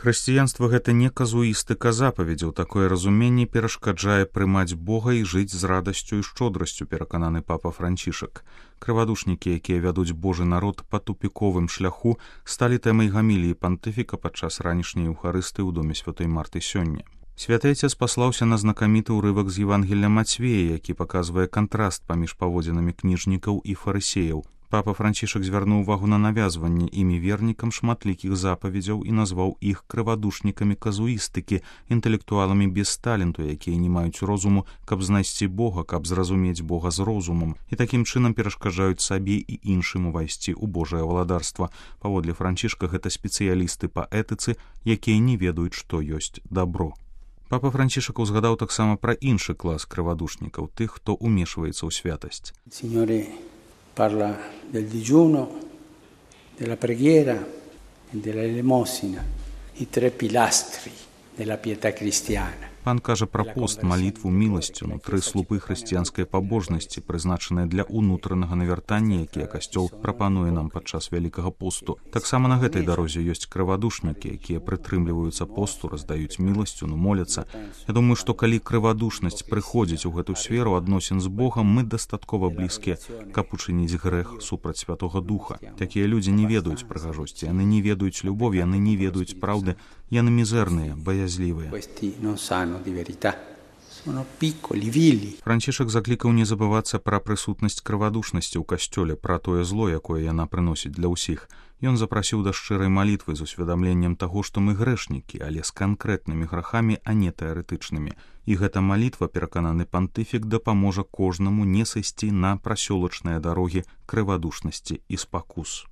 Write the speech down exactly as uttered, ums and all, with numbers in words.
Хрысціянства гэта не казуістыка запаведзяў, такое разуменне перашкаджае прымаць Бога і жыць з радасцю і шчодрасцю, перакананы папа Францішак. Крывадушнікі, якія вядуць Божы народ па тупіковым шляху, сталі тэмай гаміліі пантыфіка падчас ранішняй еўхарыстыі ў доме святой Марты сёння. Святы Отец паслаўся на знакаміты ўрывак з Евангелля Мацвея, які паказвае кантраст паміж паводзінамі кніжнікаў і фарысеяў. Папа Францішак звярнуў увагу на навязванне імі вернікам шматлікіх запаведзяў і назваў іх крывадушнікамі казуістыкі, інтэлектуаламі без таленту, якія не маюць розуму, каб знайсці Бога, каб зразумець Бога з розумам, і такім чынам перашкаджаюць сабе і іншым увайсці ў Божае валадарства. Паводле Францішка гэта спецыялісты па этыцы, якія не ведаюць, што ёсць дабро. Папа Францішак узгадаў таксама пра іншы клас крывадушнікаў, тых, хто умешваецца ў святасць. Parla del digiuno, della preghiera e della elemosina, i tre pilastri della pietà cristiana. Пан кажа пра пост, малітву, міласціну, тры слупы хрысціянскай пабожнасці, прызначаныя для ўнутранага навяртання, якія касцёл прапануе нам падчас вялікага посту. Таксама на гэтай дарозе ёсць крывадушнікі, якія прытрымліваюцца посту, раздаюць міласціну, моляцца. Я думаю, што калі крывадушнасць прыходзіць у гэту сферу адносін з Богам, мы дастаткова блізкія, каб учыніць грэх супраць Святога Духа. Такія людзі не ведаюць прыгажосці, яны не ведаюць любові, яны не ведаюць праўды, яны мізэрныя, баязлівыя. Францішак заклікаў не забывацца пра прысутнасць крывадушнасці ў касцёле, пра тое зло, якое яна прыносіць для ўсіх. Ён запрасіў да шчырай малітвы з усведамленнем таго, што мы грэшнікі, але з канкрэтнымі грахамі, а не тэарэтычнымі. І гэта малітва, перакананы пантыфік, дапаможа кожнаму не сысці на прасёлачныя дарогі крывадушнасці і спакус.